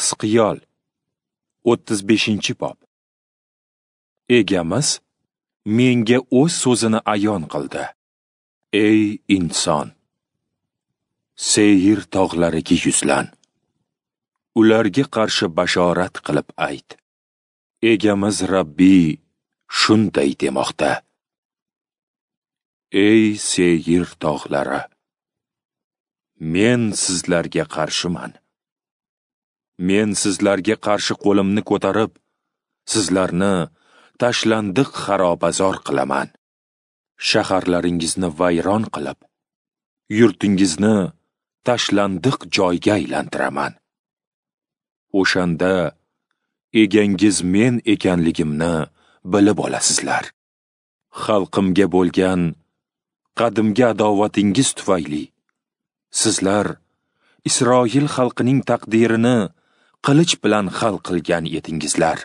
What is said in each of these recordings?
Yahsqiyol 35-bob. Egamiz menga o'z so'zini ayon qildi. Ey inson, Seyir tog'lariga yuzlan. Ularga qarshi bashorat qilib ayt. Egamiz Rabbiy shunday demoqda: Ey Seyir tog'lari, men sizlarga qarshiman. Men sizlarga qarshi qo'limni ko'tarib, sizlarni tashlandiq xarobazor qilaman. Shaharlaringizni vayron qilib, yurtingizni tashlandiq joyga aylantiraman. O'shanda egangiz men ekanligimni bilib olasizlar. Xalqimga bo'lgan qadimgi adovatingiz tufayli sizlar Isroil xalqining taqdirini qilich bilan hal qilgan edingizlar.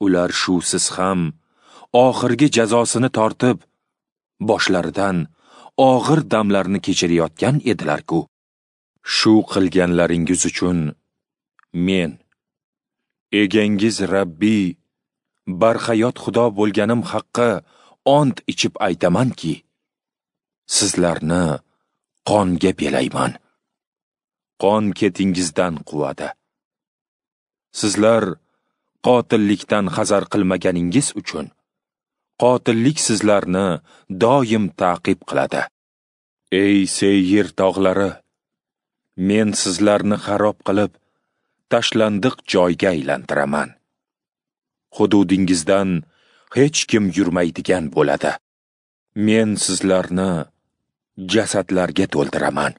Ular shusiz ham oxirgi jazosini tortib, boshlaridan og'ir damlarni kechirayotgan edilar-ku. Shu qilganlaringiz uchun men, egangiz Rabbiy, barhayot Xudo bo'lganim haqqi ont ichib aytamanki, sizlarni qonga belayman. Qon ketingizdan quvadi. Sizlar qotillikdan hazar qilmaganingiz uchun qotillik sizlarni doim ta'qib qiladi. Ey Seyir tog'lari, men sizlarni xarob qilib, tashlandiq joyga aylantiraman. Hududingizdan hech kim yurmaydigan bo'ladi. Men sizlarni jasadlarga to'ldiraman.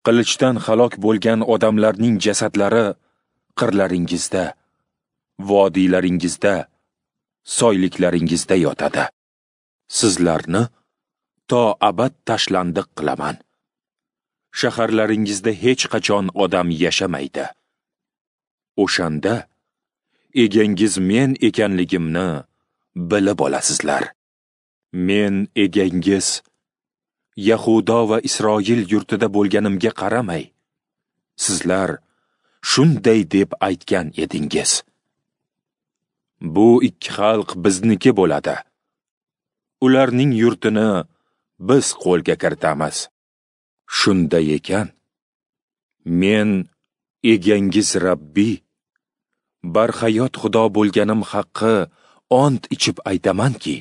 Qilichdan halok bo'lgan odamlarning jasadlari qirlaringizda, vodiylaringizda, soyliklaringizda yotadi. Sizlarni to abad tashlandiq qilaman. Shaharlaringizda hech qachon odam yashamaydi. O'shanda egangiz men ekanligimni bilib olasizlar. Men egangiz Yahudo va Isroil yurtida bo'lganimga qaramay, sizlar shunday deb aytgan edingiz: Bu ikki xalq bizniki bo'ladi. Ularning yurtini biz qo'lga kiritamiz. Shunday ekan, men egangiz Rabbiy, barhayot Xudo bo'lganim haqqi ont ichib aytamanki,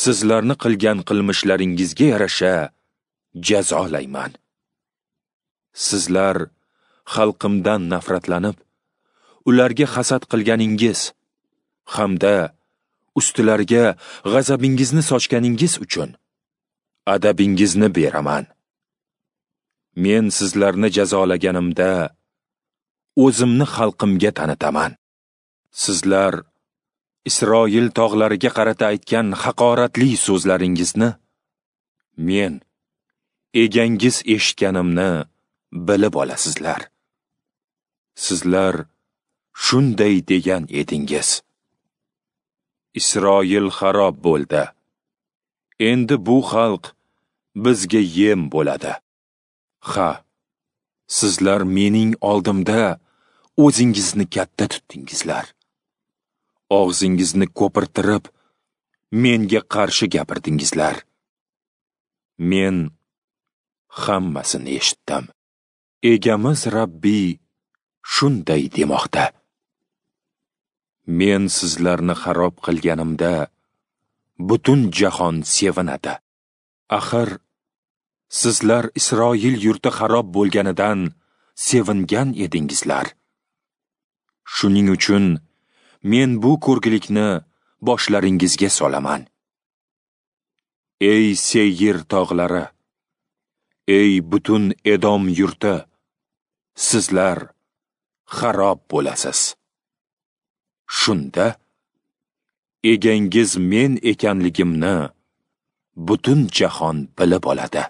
sizlarni qilgan qilmishlaringizga yarasha jazolayman. Sizlar xalqimdan nafratlanib, ularga hasad qilganingiz hamda ustilariga g'azabingizni sochganingiz uchun adabingizni beraman. Men sizlarni jazolaganimda o'zimni xalqimga tanitaman. Sizlar Isroil tog'lariga qarata aytgan haqoratli so'zlaringizni men, egangiz eshitganimni bilib olasizlar. Sizlar shunday degan edingiz: Isroil xarob bo'ldi. Endi bu xalq bizga yem bo'ladi. Ha, sizlar mening oldimda o'zingizni katta tutdingizlar. Og'zingizni ko'pirtirib, menga qarshi gapirdingizlar. Men hammasini eshitdim. Egamiz Rabbiy shunday demoqda: Men sizlarni xarob qilganimda butun jahon sevinadi. Axir sizlar Isroil yurti xarob bo'lganidan sevingan edingizlar. Shuning uchun men bu ko'rgilikni boshlaringizga solaman. Ey Seyir tog'lari, ey butun Edom yurti, sizlar xarob bo'lasiz. Shunda egangiz men ekanligimni butun jahon bilib oladi.